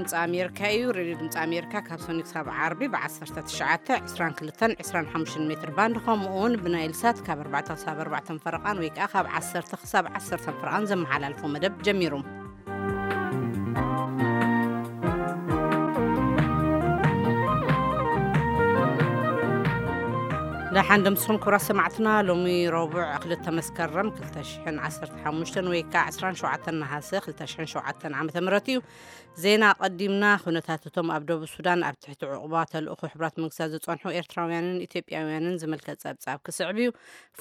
ድምፂ ኣሜሪካ እዩ። ሬድዮ ድምፂ ኣሜሪካ ካብ ሰኒ ክሳብ ዓርቢ ብ ዓሰርተ ትሽዓተ፣ ዕስራን ክልተን፣ ዕስራን ሓሙሽተን ሜትር ባንድ፣ ከምኡ እውን ብናይል ሳት ካብ ኣርባዕተ ክሳብ ኣርባዕተ ፈረቓን ወይ ከዓ ካብ ዓሰርተ ክሳብ ዓሰርተ ፈረቓን ዘመሓላልፎ መደብ ጀሚሩ። ደሓን ደምስኹም ክቡራት ሰማዕትና። ሎሚ ረቡዕ ክልተ መስከረም ክልተ ሽሕን ዓሰርተ ሓሙሽተን ወይ ከዓ ዕስራን ሸውዓተን ነሃሰ ክልተ ሽሕን ሸውዓተን ዓመተ ምህረት እዩ። ዜና ኣቐዲምና። ኩነታት እቶም ኣብ ደቡብ ሱዳን ኣብ ትሕቲ ዕቑባ ተልእኾ ሕቡራት መንግስታት ዝጸንሑ ኤርትራውያንን ኢትዮጵያውያንን ዝምልከት ጸብጻብ ክስዕብ እዩ።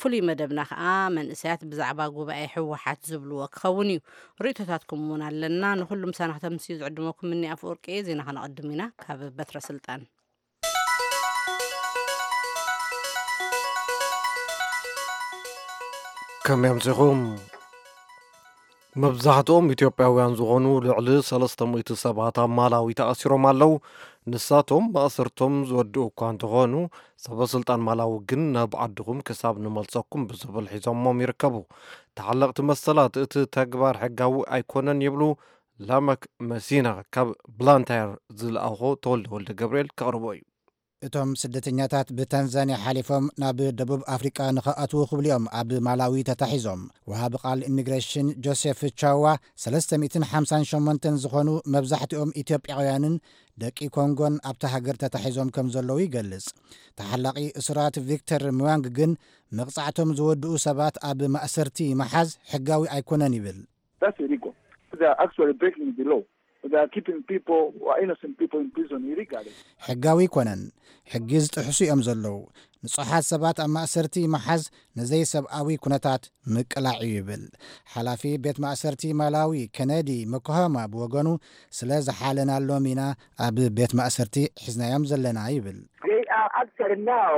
ፍሉይ መደብና ከኣ መንእሰያት ብዛዕባ ጉባኤ ህወሓት ዝብልዎ ክኸውን እዩ። ርእይቶታትኩም እውን ኣለና። ንኹሉ ምሳና ከተምስዩ ዝዕድመኩም እኒ ኣፈወርቂ እየ። ዜና ከነቐድም ኢና። ካብ በትረ ስልጣን። ከመይ ኣምሲኹም? መብዛሕትኦም ኢትዮጵያውያን ዝኾኑ ልዕሊ ሰለስተ ሚእቲ ሰባት ኣብ ማላዊ ተኣሲሮም ኣለዉ። ንሳቶም ማእሰርቶም ዝወድኡ እኳ እንተኾኑ፣ ሰበ ስልጣን ማላዊ ግን ናብ ዓድኹም ክሳብ ንመልሰኩም ብዝብል ሒዞሞም ይርከቡ። ተሓለቕቲ መሰላት እቲ ተግባር ሕጋዊ ኣይኮነን ይብሉ። ላመክ መሲና ካብ ብላንታየር ዝለኣኾ ተወልደ ወልደ ገብርኤል ከቕርቦ እዩ። እቶም ስደተኛታት ብታንዛንያ ሓሊፎም ናብ ደቡብ ኣፍሪቃ ንኸኣትዉ ክብሉ እዮም ኣብ ማላዊ ተታሒዞም። ወሃቢ ቃል ኢሚግሬሽን ጆሴፍ ቻዋ፣ ሰለስተ ሚእትን ሓምሳን ሸሞንተን ዝኾኑ መብዛሕትኦም ኢትዮጵያውያንን ደቂ ኮንጎን ኣብታ ሃገር ተታሒዞም ከም ዘለዉ ይገልጽ። ተሓላቒ እሱራት ቪክተር ምዋንግ ግን መቕጻዕቶም ዝወድኡ ሰባት ኣብ ማእሰርቲ ምሓዝ ሕጋዊ ኣይኮነን ይብል። That's illegal. They are actually breaking the law. They are keeping people who are innocent people in prison illegally. ሕጋዊ ኣይኮነን። ሕጊ ዝጥሕሱ እዮም ዘለዉ። ንጹሓት ሰባት ኣብ ማእሰርቲ ምሓዝ ንዘይሰብኣዊ ኩነታት ምቅላዕ እዩ ይብል። ሓላፊ ቤት ማእሰርቲ ማላዊ ኬነዲ መኮሃማ ብወገኑ፣ ስለ ዝሓለናሎም ኢና ኣብ ቤት ማእሰርቲ ሒዝናዮም ዘለና ይብል። They are actually now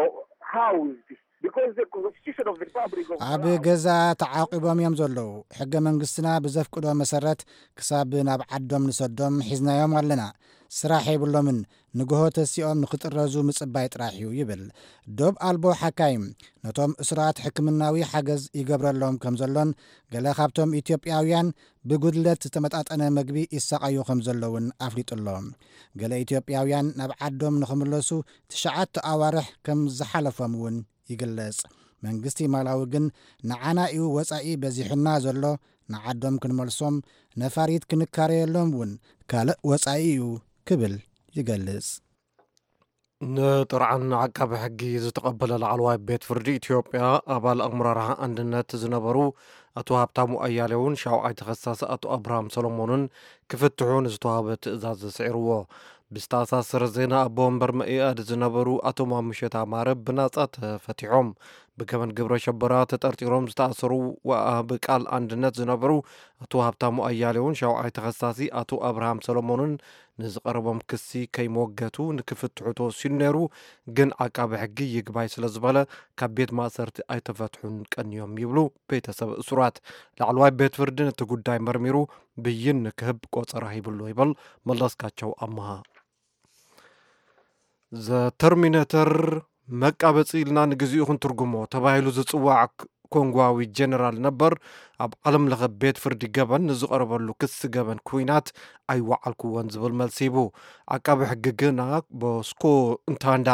housed because the constitution of the Republic of ኣብ Malawi ገዛ ተዓቂቦም እዮም ዘለዉ። ሕገ መንግስትና ብዘፍቅዶ መሰረት ክሳብ ናብ ዓዶም ንሰዶም ሒዝናዮም ኣለና። ስራሕ የብሎምን። ንግሆ ተሲኦም ንክጥረዙ ምጽባይ ጥራሕ እዩ ይብል። ዶብ ኣልቦ ሓካይም ነቶም እሱራት ሕክምናዊ ሓገዝ ይገብረሎም ከም ዘሎን፣ ገለ ካብቶም ኢትዮጵያውያን ብጉድለት ዝተመጣጠነ መግቢ ይሳቐዩ ከም ዘለውን ኣፍሊጡ ኣሎ። ገለ ኢትዮጵያውያን ናብ ዓዶም ንኽምለሱ ትሽዓተ ኣዋርሕ ከም ዝሓለፎም እውን ይግለጽ። መንግስቲ ማላዊ ግን ንዓና እዩ ወጻኢ በዚሑና ዘሎ፣ ንዓዶም ክንመልሶም ነፋሪት ክንካረየሎም እውን ካልእ ወጻኢ እዩ ክብል ይገልጽ። ንጥርዓን ዓቃቢ ሕጊ ዝተቐበለ ላዕለዋይ ቤት ፍርዲ ኢትዮጵያ፣ ኣባል ኣመራርሓ ኣንድነት ዝነበሩ ኣቶ ሃብታሙ ኣያሌውን ሻውዓይ ተኸሳሲ ኣቶ ኣብርሃም ሰሎሞንን ክፍትሑ ንዝተዋህበ ትእዛዝ ስዒርዎ። ብዝተኣሳሰረ ዜና፣ ኣቦ ወንበር መኢኣድ ዝነበሩ ኣቶ ማሙሸት ኣማረ ብናጻ ተፈቲሖም። ብገበን ግብረ ሸበራ ተጠርጢሮም ዝተኣሰሩ ወሃቢ ቃል ኣንድነት ዝነበሩ ኣቶ ሃብታሙ ኣያሌውን ሻውዓይ ተኸሳሲ ኣቶ ኣብርሃም ሰሎሞንን ንዝቐረቦም ክሲ ከይመወገቱ ንክፍትሑ ተወሲኑ ነይሩ። ግን ዓቃቢ ሕጊ ይግባይ ስለ ዝበለ፣ ካብ ቤት ማእሰርቲ ኣይተፈትሑን ቀንዮም ይብሉ ቤተሰብ እሱራት። ላዕለዋይ ቤት ፍርዲ ነቲ ጉዳይ መርሚሩ ብይን ንክህብ ቆጸራ ሂብሎ ይብል መለስካቸው ኣመሃ። ዘ ተርሚኔተር፣ መቃበጺ ኢልና ንግዚኡ ክንትርጉሞ ተባሂሉ ዝጽዋዕ ክ-፣ ኮንጓዊ ጀነራል ነበር፣ ኣብ ዓለም ለኸ ቤት ፍርዲ ገበን ንዝቐረበሉ ክሲ ገበን ኩናት ኣይወዓልኩዎን ዝብል መልሲ ሂቡ። ዓቃቢ ሕጊ ግና ቦስኮ እንታንዳ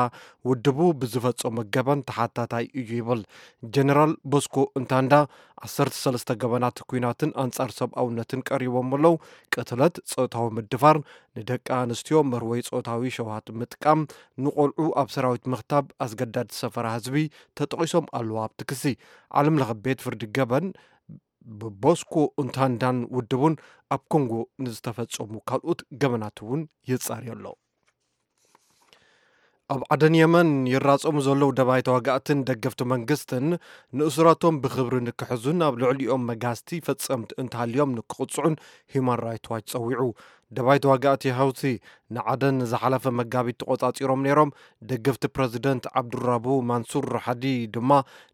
ውድቡ ብዝፈጸሞ ገበን ተሓታታይ እዩ ይብል። ጀነራል ቦስኮ እንታንዳ ዓሰርተ ሰለስተ ገበናት ኩናትን ኣንጻር ሰብኣውነትን ቀሪቦም ኣለዉ። ቅትለት፣ ጾታዊ ምድፋር፣ ንደቂ ኣንስትዮ መርወይ ጾታዊ ሸውሃት ምጥቃም፣ ንቆልዑ ኣብ ሰራዊት ምኽታብ፣ ኣስገዳድ ሰፈራ ህዝቢ ተጠቒሶም ኣለዉ ኣብቲ ክሲ። ዓለም ለኸ ቤት ፍርዲ ገበን ብቦስኮ እንታንዳን ውድቡን ኣብ ኮንጎ ንዝተፈጸሙ ካልኦት ገበናት እውን ይጻርዮ ኣሎ። ኣብ ዓደን የመን ይራጸሙ ዘለዉ ደባይ ተዋጋእትን ደገፍቲ መንግስትን ንእሱራቶም ብኽብሪ ንክሕዙን ኣብ ልዕሊኦም መጋዝቲ ፈጸምቲ እንተሃልዮም ንክቕጽዑን ሂዩማን ራይት ዋች ጸዊዑ። ደባይ ተዋጋእቲ ሀውቲ ንዓደን ዝሓለፈ መጋቢት ተቖጻጺሮም ነይሮም። ደገፍቲ ፕረዚደንት ዓብዱራቡ ማንሱር ሓዲ ድማ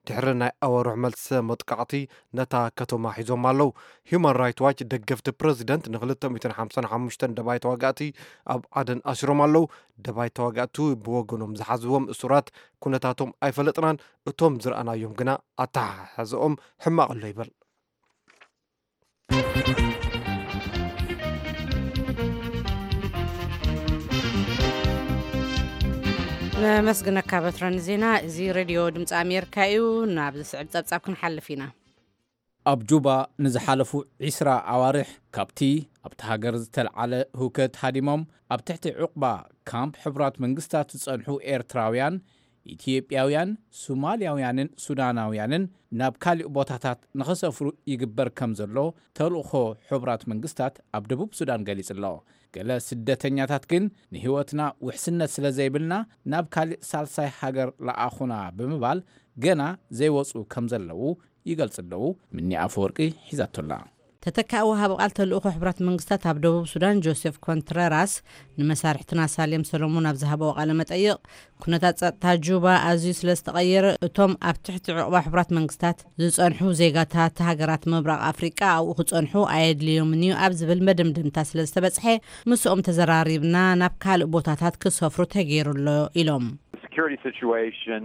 ድሕሪ ናይ ኣዋርሕ መልሰ መጥቃዕቲ ነታ ከተማ ሒዞም ኣለዉ። ሂዩማን ራይት ዋች ደገፍቲ ፕረዚደንት ንክልተ ሚእትን ሓምሳን ሓሙሽተን ደባይ ተዋጋእቲ ኣብ ዓደን ኣሲሮም ኣለዉ። ደባይ ተዋጋእቲ ብወገኖም ዝሓዝዎም እሱራት ኩነታቶም ኣይፈለጥናን፣ እቶም ዝረኣናዮም ግና ኣተሓሕዛኦም ሕማቕ ኣሎ ይብል። መስግነካ በትረን ዜና። እዚ ሬድዮ ድምፂ ኣሜሪካ እዩ። ናብ ዝስዕብ ፀብፃብ ክንሓልፍ ኢና። ኣብ ጁባ ንዝሓለፉ ዒስራ ኣዋርሕ ካብቲ ኣብቲ ሃገር ዝተልዓለ ህውከት ሃዲሞም ኣብ ትሕቲ ዕቑባ ካምፕ ሕቡራት መንግስታት ዝጸንሑ ኤርትራውያን፣ ኢትዮጵያውያን፣ ሶማልያውያንን ሱዳናውያንን ናብ ካልእ ቦታታት ንኸሰፍሩ ይግበር ከም ዘሎ ተልእኾ ሕቡራት መንግስታት ኣብ ደቡብ ሱዳን ገሊጹ ኣሎ። ገለ ስደተኛታት ግን ንህይወትና ውሕስነት ስለ ዘይብልና ናብ ካልእ ሳልሳይ ሃገር ለኣኹና ብምባል ገና ዘይወጹ ከም ዘለዉ ይገልጹ ኣለዉ። ምኒ ኣፈወርቂ ሒዛቶላ። ተተካኢ ወሃቢ ቃል ተልእኾ ሕቡራት መንግስታት ኣብ ደቡብ ሱዳን ጆሴፍ ኮንትረራስ ንመሳርሕትና ሳሌም ሰሎሞን ኣብ ዝሃበዎ ቃለ መጠይቕ፣ ኩነታት ጸጥታ ጁባ ኣዝዩ ስለ ዝተቐየረ እቶም ኣብ ትሕቲ ዕቑባ ሕቡራት መንግስታት ዝጸንሑ ዜጋታት ሃገራት ምብራቕ ኣፍሪቃ ኣብኡ ክጸንሑ ኣየድልዮምን እዩ ኣብ ዝብል መደምደምታ ስለ ዝተበጽሐ ምስኦም ተዘራሪብና ናብ ካልእ ቦታታት ክሰፍሩ ተገይሩ ኣሎ ኢሎም። The security situation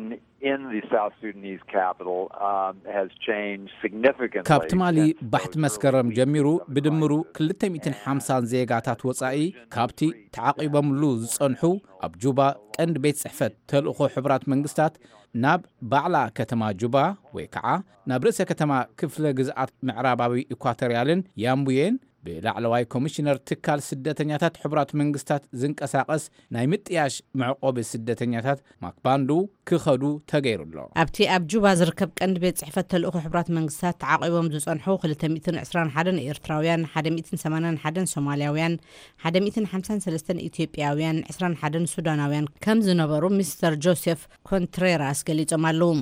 in the South Sudanese capital um, has changed significantly. ካብ ትማሊ ባሕቲ መስከረም ጀሚሩ ብድምሩ ክልተ ሚእትን ሓምሳን ዜጋታት ወጻኢ ካብቲ ተዓቒቦምሉ ዝጸንሑ ኣብ ጁባ ቀንዲ ቤት ጽሕፈት ተልእኾ ሕቡራት መንግስታት ናብ ባዕላ ከተማ ጁባ ወይ ከዓ ናብ ርእሰ ከተማ ክፍለ ግዝኣት ምዕራባዊ ኢኳቶርያልን ያምቡየን ብላዕለዋይ ኮሚሽነር ትካል ስደተኛታት ሕቡራት መንግስታት ዝንቀሳቐስ ናይ ምጥያሽ መዕቆቢ ስደተኛታት ማክባንዱ ክኸዱ ተገይሩ ኣሎ። ኣብቲ ኣብ ጁባ ዝርከብ ቀንዲ ቤት ጽሕፈት ተልእኾ ሕቡራት መንግስታት ተዓቒቦም ዝጸንሑ ክልተ ሚእትን ዕስራን ሓደን ኤርትራውያን፣ ሓደ ሚእትን ሰማንያን ሓደን ሶማልያውያን፣ ሓደ ሚእትን ሓምሳን ሰለስተን ኢትዮጵያውያን፣ ዕስራን ሓደን ሱዳናውያን ከም ዝነበሩ ሚስተር ጆሴፍ ኮንትሬራስ ገሊጾም ኣለዉ።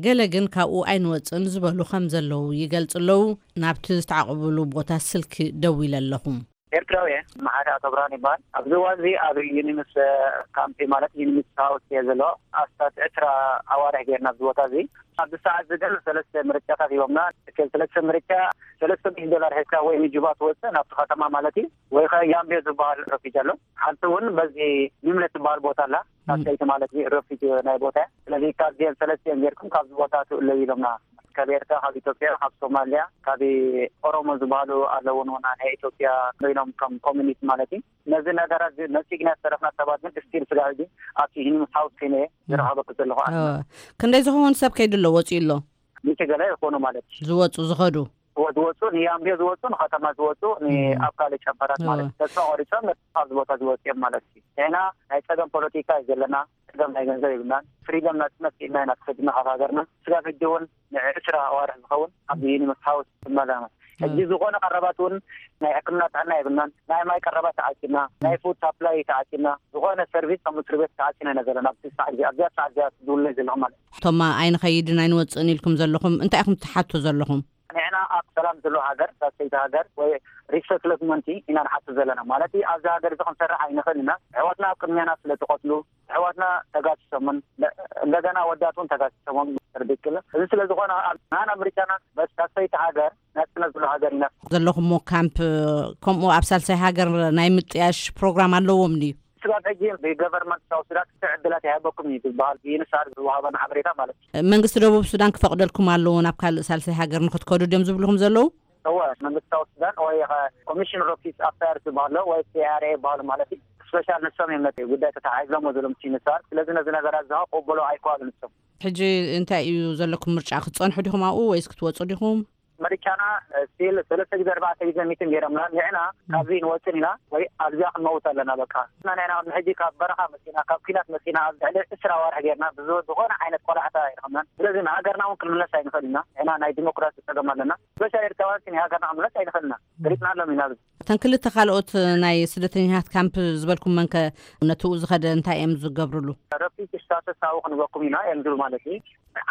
ገለ ግን ካብኡ ኣይንወጽእን ዝበሉ ከም ዘለዉ ይገልጹ ኣለዉ። ናብቲ ዝተዓቑብሉ ቦታ ስልኪ ደዊለ ኣለኹ። ኤርትራውያን መሓሪ ኣቶ ብርሃን ይበሃል። ኣብዚ እዋን እዚ ኣብ ዩኒምስ ካምፕ ማለት ዩኒምስ ሃውስ እየ ዘሎ። ኣስታት ዕስራ ኣዋርሕ ጌርና ኣብዚ ቦታ እዚ። ኣብዚ ሰዓት እዚ ግን ሰለስተ ምርጫታት ሂቦምና። ሰለስተ ምርጫ ሰለስተ ሚእቲ ዶላር ሒዝካ ወይ ንጁባ ትወፅእ ናብቲ ከተማ ማለት እዩ፣ ወይ ከ ያምቤ ዝበሃል ረፊጅ ኣሎ። ሓንቲ እውን በዚ ኒምለ ትበሃል ቦታ ኣላ፣ ሳሰይቲ ማለት እዩ ረፊጅ ናይ ቦታ እያ። ስለዚ ካብዚአን ሰለስቲአን ጌርኩም ካብዚ ቦታ ትእለዩ ኢሎምና። ካብ ኤርትራ፣ ካብ ኢትዮጵያ፣ ካብ ሶማልያ፣ ካብ ኦሮሞ ዝበሃሉ ኣለውን ና ናይ ኢትዮጵያ ኮይኖም ከም ኮሚኒቲ ማለት እዩ። ነዚ ነገራት ነፂግና ዝተረፍና ሰባት ግን ስቲል ስጋ ሕጂ ኣብቲ ሂኒምስ ሃውስ ኮይነ እየ ዝረኸበኩ ዘለኹ ኣነ። ክንደይ ዝኸውን ሰብ ከይዱ ኣሎ ወፂኡ ኣሎ? ሚእቲ ገለ ይኾኑ ማለት እዩ። ዝወፁ ዝኸዱ ዝወፁ ንያምቤ ዝወፁ ንከተማ ዝወፁ ኣብ ካልእ ጨንፈራት ማለት እዩ። ተስፋ ቆሪፆም ካብዚ ቦታ ዝወፁ እዮም ማለት እዩ። ንሕና ናይ ፀገም ፖለቲካ እዩ ዘለና። ፀገም ናይ ገንዘብ የብልናን። ፍሪደም ናፅነት ኢልና ኢና ተሰዲና ካብ ሃገርና። ስጋብ ሕጂ እውን ንዕስራ ኣዋርሕ ዝኸውን ኣብ ዩኒቨርስ ሃውስ ትመላለስ። ሕጂ ዝኾነ ቀረባት እውን ናይ ሕክምና ጥዕና የብልናን። ናይ ማይ ቀረባት ተዓፂና፣ ናይ ፉድ ሳፕላይ ተዓፂና፣ ዝኾነ ሰርቪስ ከም እስር ቤት ተዓፂና ኢና ዘለና። ኣብዚ ሰዓት እዚ ኣብዚኣ ሰዓት እዚኣ ዝውለይ ዘለኹ ማለት እዩ። እቶም ኣይንኸይድን ኣይንወፅእን ኢልኩም ዘለኹም እንታይ ኢኹም ትሓቱ ዘለኹም? ንሕና ኣብ ሰላም ዘሎ ሃገር ሳሰይቲ ሃገር ወይ ሪሰትልመንት ኢና ንሓቱ ዘለና ማለት ኣብዚ ሃገር እዚ ክንሰርሕ ኣይንኽእል ኢና። ኣሕዋትና ኣብ ቅድሚያና ስለ ዝቆስሉ ኣሕዋትና ተጋሲሶምን እንደገና ኣወዳት እውን ተጋሲሶሞም ርድክል እዚ ስለ ዝኾነ ናና ምርጫና በስ ሳሰይቲ ሃገር ናፅነት ዘሎ ሃገር ኢና። ዘለኹሞ ካምፕ ከምኡ ኣብ ሳልሳይ ሃገር ናይ ምጥያሽ ፕሮግራም ኣለዎም ድዩ? ስጋብ ሕጂ ብገቨርንመንት ሳውት ሱዳን ክልተ ዕድላት ይሃበኩም እዩ ዝበሃል ብዩኒሳር ዝወሃበና ሓበሬታ ማለት እዩ። መንግስቲ ደቡብ ሱዳን ክፈቕደልኩም ኣለዎ ናብ ካልእ ሳልሳይ ሃገር ንክትከዱ ድዮም ዝብልኹም ዘለዉ? እወ መንግስቲ ሳውት ሱዳን ወይ ኮሚሽን ኦፍ ሪፊውጂስ ኣፌርስ ዝበሃሎ ወይ ሲ ኣር ኤ ዝበሃሎ ማለት እዩ። ስፔሻል ንሶም እዮም ነቲ ጉዳይ ተተሓሒዝሎሞ ዘለዉ ምስ ዩኒሳር። ስለዚ ነዚ ነገራት ዝሃ ቅበሎ ኣይከኣሉ ንሶም። ሕጂ እንታይ እዩ ዘለኩም ምርጫ? ክትፀንሑ ዲኹም ኣብኡ ወይስ ክትወፁ ዲኹም? ምርጫና ስቲል ሰለስተ ግዜ ኣርባዕተ ግዜ ሚቲንግ ገይሮምና ንሕና ካብዚ ንወፅን ኢና ወይ ኣብዚኣ ክንመውት ኣለና በቃ። ንሕና ንሕና ሕጂ ካብ በረኻ መፂና ካብ ኲናት መፂና ኣብ ልዕሊ ዕስራ ኣዋርሕ ገይርና ብዝኾነ ዓይነት ቆላሕታ ኣይረኸብናን። ስለዚ ንሃገርና እውን ክንምለስ ኣይንኽእል ኢና። ንሕና ናይ ዲሞክራሲ ፀገም ኣለና። ስፔሻል ኤርትራውያን ንሃገርና ክንምለስ ኣይንኽእል ኢና። ገሊፅናሎም ኢና። እተን ክልተ ካልኦት ናይ ስደተኛታት ካምፕ ዝበልኩመንከ ነትኡ ዝኸደ እንታይ እዮም ዝገብርሉ? ረፊጅ ስታተስ ኣብኡ ክንበኩም ኢና እዮም ዝብሉ ማለት እዩ።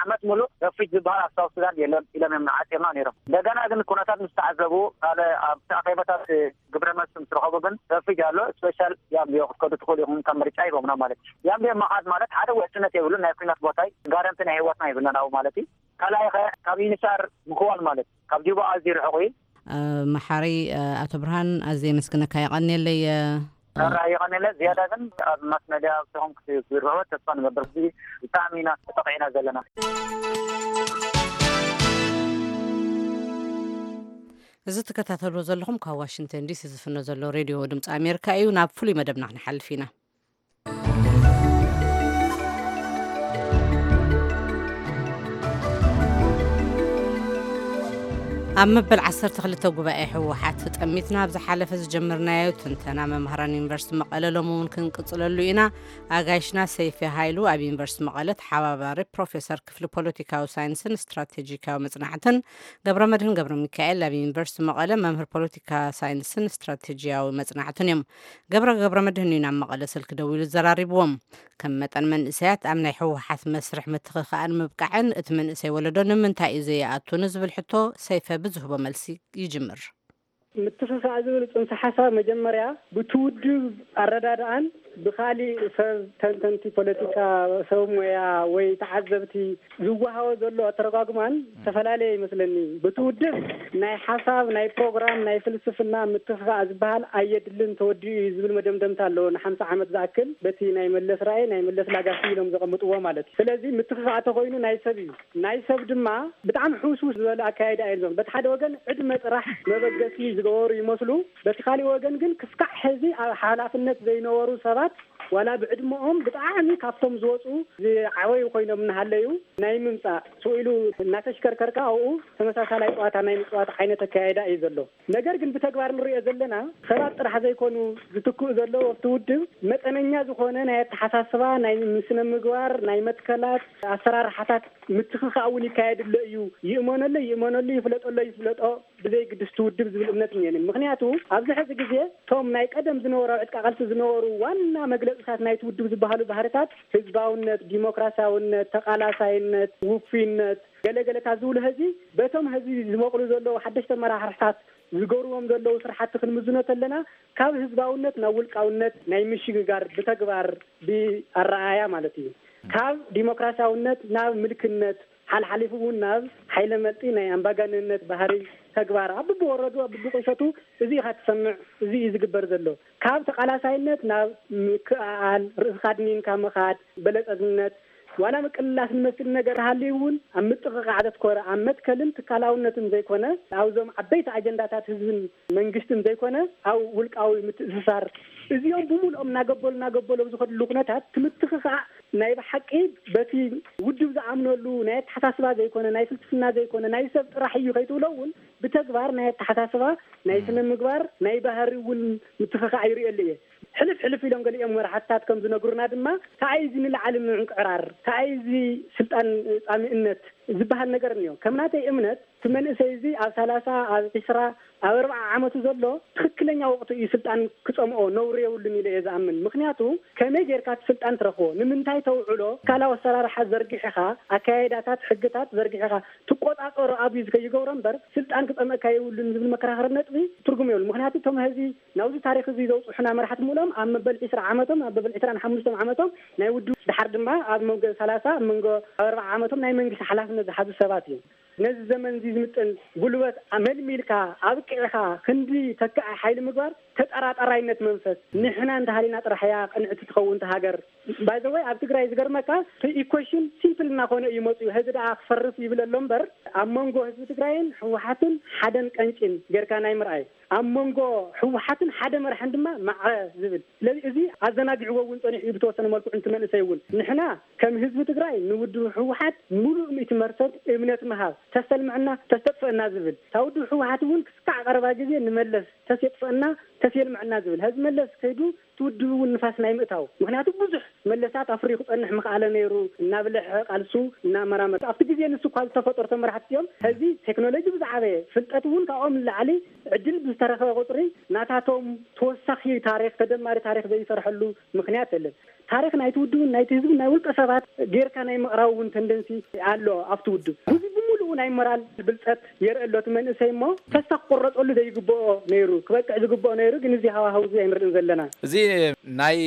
ዓመት ሙሉእ ረፊጅ ዝበሃል ኣብ ሳውት ሱዳን የለን ኢሎም እዮም ንዓፅዮምና ነይሮም። እንደገና ግን ኩነታት ምስ ተዓዘቡ ካልእ ኣብቲ ኣኼባታት ግብረ መልሲ ምስ ረኸቡ ግን ረፊጅ ኣሎ ስፔሻል ያምቢዮ ክትከዱ ትኽእሉ ኢኹም ከም ምርጫ ሂቦምና ማለት እዩ። ያምቢዮ ምኻድ ማለት ሓደ ውሕስነት የብሉን ናይ ኩናት ቦታ እዩ። ጋረንቲ ናይ ህይወትና የብልናን ኣብኡ ማለት እዩ። ካልኣይ ኸ ካብ ዩኒሳር ምክዋል ማለት እዩ። ካብ ጁባ ኣዝዩ ርሑቕ እዩ። መሓሪ ኣቶ ብርሃን ኣዝየ የመስግነካ የቐንየለይ። ራእይ ይቐንለ ዝያዳ ግን ኣብ ማስ መድያ ኣብቶም ክትዝርብዎ ተስፋ ንገብር። እዚ ብጣዕሚ ኢና ተጠቂዕና ዘለና። እዚ ትከታተልዎ ዘለኹም ካብ ዋሽንግተን ዲሲ ዝፍኖ ዘሎ ሬድዮ ድምፂ ኣሜሪካ እዩ። ናብ ፍሉይ መደብና ክንሓልፍ ኢና። ኣብ መበል ዓሰርተ ክልተ ጉባኤ ህወሓት ተጠሚትና ኣብ ዝሓለፈ ዝጀመርናዮ ትንተና መምህራን ዩኒቨርሲቲ መቐለ ሎሚ እውን ክንቅፅለሉ ኢና። ኣጋይሽና ሰይፈ ሃይሉ ኣብ ዩኒቨርሲቲ መቐለ ተሓባባሪ ፕሮፌሰር ክፍሊ ፖለቲካዊ ሳይንስን ስትራቴጂካዊ መፅናዕትን፣ ገብረ መድህን ገብረ ሚካኤል ኣብ ዩኒቨርሲቲ መቐለ መምህር ፖለቲካ ሳይንስን ስትራቴጂያዊ መፅናዕትን እዮም። ገብረ ገብረ መድህን እዩ ናብ መቐለ ስልኪ ደዊሉ ዘራሪብዎም። ከም መጠን መንእሰያት ኣብ ናይ ህወሓት መስርሕ ምትኽኻእን ምብቃዕን እቲ መንእሰይ ወለዶ ንምንታይ እዩ ዘይኣቱ ንዝብል ሕቶ ሰይፈ ብዝህቦ መልሲ ይጅምር። ምትኽኻእ ዝብል ጽንሰ ሓሳብ መጀመርያ ብቲ ውድብ ኣረዳድኣን ብኻሊእ ሰብ ተንተንቲ ፖለቲካ፣ ሰብ ሞያ ወይ ተዓዘብቲ ዝወሃቦ ዘሎ ኣተረጓጉማን ዝተፈላለየ ይመስለኒ። ብቲ ውድብ ናይ ሓሳብ፣ ናይ ፕሮግራም፣ ናይ ፍልስፍና ምትኽኻእ ዝበሃል ኣየድልን፣ ተወዲኡ እዩ ዝብል መደምደምታ ኣለዎ። ንሓምሳ ዓመት ዝኣክል በቲ ናይ መለስ ራእይ፣ ናይ መለስ ላጋሲ ኢሎም ዘቐምጥዎ ማለት እዩ። ስለዚ ምትኽኻእ ተኾይኑ ናይ ሰብ እዩ። ናይ ሰብ ድማ ብጣዕሚ ሕውስውስ ዝበለ ኣካያይዳ እዮም ዞም። በቲ ሓደ ወገን ዕድመ ጥራሕ መበገሲ ዝገበሩ ይመስሉ፣ በቲ ካሊእ ወገን ግን ክስካዕ ሕዚ ኣብ ሓላፍነት ዘይነበሩ ሰባት ዋላ ብዕድመኦም ብጣዕሚ ካብቶም ዝወፁ ዝዓበዩ ኮይኖም እናሃለዩ ናይ ምምፃእ ስኢሉ እናተሽከርከርካ ኣብኡ ተመሳሳላይ ፀዋታ ናይ ምፅዋት ዓይነት ኣካያይዳ እዩ ዘሎ። ነገር ግን ብተግባር ንሪኦ ዘለና ሰባት ጥራሕ ዘይኮኑ ዝትክኡ ዘለዉ ኣብቲ ውድብ መጠነኛ ዝኾነ ናይ ኣተሓሳስባ፣ ናይ ስነ ምግባር፣ ናይ መትከላት ኣሰራርሓታት ምትኽኻእ እውን ይካየድሎ እዩ። ይእመነሉ ይእመነሉ፣ ይፍለጠሎ ይፍለጦ ብዘይ ግድስቲ ውድብ ዝብል እምነት እኒአኒ። ምኽንያቱ ኣብዚ ሕዚ ግዜ እቶም ናይ ቀደም ዝነበሩ ኣብ ዕጥቃ ቃልሲ ዝነበሩ ዋና መግለፅታት ናይቲ ውድብ ዝበሃሉ ባህርታት ህዝባውነት፣ ዲሞክራሲያውነት፣ ተቓላሳይነት፣ ውፉይነት፣ ገለገለታት ዝብሉ ህዚ በቶም ህዚ ዝመቕሉ ዘለዉ ሓደሽቲ ኣመራርሓታት ዝገብርዎም ዘለዉ ስራሕቲ ክንምዝኖ ተለና ካብ ህዝባውነት ናብ ውልቃውነት ናይ ምሽግጋር ብተግባር ብኣረኣያ ማለት እዩ። ካብ ዲሞክራሲያውነት ናብ ምልክነት ሓልሓሊፉ እውን ናብ ሓይለ መልጢ ናይ ኣምባጋነነት ባህሪ ተግባር ኣብ ብብወረዱ ኣብ ብብቁሸቱ እዚ ኢኻ ትሰምዕ፣ እዚ እዩ ዝግበር ዘሎ። ካብ ተቓላሳይነት ናብ ምክእኣል ርእስኻ ድኒንካ ምኻድ በለጸግነት ዋላ ምቅልላስ ዝመስል ነገር ሃልዩ እውን ኣብ ምጥቕቓዕ ዘትኮረ ኣብ መትከልን ትካላውነትን ዘይኮነ ኣብዞም ዓበይቲ ኣጀንዳታት ህዝብን መንግስትን ዘይኮነ ኣብ ውልቃዊ ምትእስሳር እዚኦም ብምልኦም እናገበሉ እናገበሉ ኣብ ዝኸድሉ ኩነታት ትምትኽኻእ ናይ ብሓቂ በቲ ውድብ ዝኣምነሉ ናይ ኣተሓሳስባ ዘይኮነ ናይ ፍልስፍና ዘይኮነ ናይ ሰብ ጥራሕ እዩ ከይትብሎ እውን ብተግባር ናይ ኣተሓሳስባ ናይ ስነ ምግባር ናይ ባህሪ እውን ምትኽኻእ ይርእየሉ እየ። ሕልፍ ሕልፍ ኢሎም ገሊኦም መራሕትታት ከም ዝነግሩና ድማ ተኣይ እዚ ንላዕሊ ምዕንቅዕራር ተኣይ እዚ ስልጣን ፃሚእነት ዝበሃል ነገር እኒኦ። ከም ናተይ እምነት እቲ መንእሰይ እዚ ኣብ ሰላሳ ኣብ ዒስራ ኣብ ኣርብዓ ዓመቱ ዘሎ ትኽክለኛ ወቕቱ እዩ ስልጣን ክፀምኦ ነውሪ የብሉን ኢለ እየ ዝኣምን። ምክንያቱ ከመይ ጌርካ እቲ ስልጣን ትረኽቦ ንምንታይ ተውዕሎ ትካላዊ ኣሰራርሓ ዘርጊሕኻ ኣካያይዳታት ሕግታት ዘርጊሕኻ ትቆፃፀሮ ኣብዩ ከይገብሮ እምበር ስልጣን ክፀምእካ የብሉን ዝብል መከራኸሪ ነጥቢ ትርጉም የብሉ። ምክንያቱ እቶም ህዚ ናብዚ ታሪክ እዚ ዘውፅሑና መራሕቲ ምሎም ኣብ መበል ዒስራ ዓመቶም ኣብ መበል ዒስራን ሓሙሽተን ዓመቶም ናይ ውድብ ድሓር ድማ ኣብ መንጎ ሰላሳ ኣብ መንጎ ኣብ ኣርብዓ ዓመቶም ናይ መንግስቲ ሓላፍነት ዝሓዙ ሰባት እዮም። ነዚ ዘመን እዚ ዝምጥን ጉልበት መልሚልካ ኣብቂዕካ ክንዲ ተካኢ ሓይሊ ምግባር ተጠራጠራይነት መንፈስ ንሕና እንተሃሊና ጥራሕ እያ ቅንዕቲ ትኸውን እታ ሃገር። ባይዘወይ ኣብ ትግራይ ዝገርመካ እቲ ኢኮሽን ሲምፕል እናኾነ እዩ መፅኡ። ህዚ ደኣ ክፈርስ ይብል ኣሎ እምበር ኣብ መንጎ ህዝቢ ትግራይን ህወሓትን ሓደን ቀንጭን ጌርካ ናይ ምርኣይ ኣብ መንጎ ህወሓትን ሓደ መራሕን ድማ ማዕረ ዝብል ስለዚ እዚ ኣዘናጊዕዎ እውን ፀኒሑ እዩ ብተወሰነ መልክዑ እንቲ መንእሰይ እውን ንሕና ከም ህዝቢ ትግራይ ንውድብ ህወሓት ሙሉእ ሚእቲ መርሰት እምነት ምሃብ ተሰልምዐና ተስተጥፍአና ዝብል እታ ውድብ ህወሓት እውን ክስካዕ ቀረባ ግዜ ንመለስ ተስየጥፍአና ተስየልምዐና ዝብል ህዚ መለስ ከይዱ እቲ ውድብ እውን ንፋስ ናይ ምእታው ምክንያቱ ብዙሕ መለሳት ኣፍርዩ ክፀንሕ ምኽኣለ ነይሩ እናብልሐ ቃልሱ እናመራመረ ኣብቲ ግዜ ንሱ እኳ ዝተፈጠሩ ተመራሕቲ እዮም። ሕዚ ቴክኖሎጂ ብዝዓበየ ፍልጠት እውን ካብኦም ንላዕሊ ዕድል ብዝተረኸበ ቁፅሪ ናታቶም ተወሳኺ ታሪክ ተደማሪ ታሪክ ዘይሰርሐሉ ምክንያት የለን። ታሪክ ናይቲ ውድብን ናይቲ ህዝብን ናይ ውልቀ ሰባት ጌርካ ናይ ምቕራብ እውን ተንደንሲ ኣሎ ኣብቲ ውድብ እዚ ብምሉኡ ናይ ሞራል ብልፀት የርኢ ኣሎ እቲ መንእሰይ እሞ ተስፋ ክቆረፀሉ ዘይግብኦ ነይሩ ክበቅዕ ዝግብኦ ነይሩ ግን እዚ ሃዋህው እዚ ኣይንርእን ዘለና። እዚ ናይ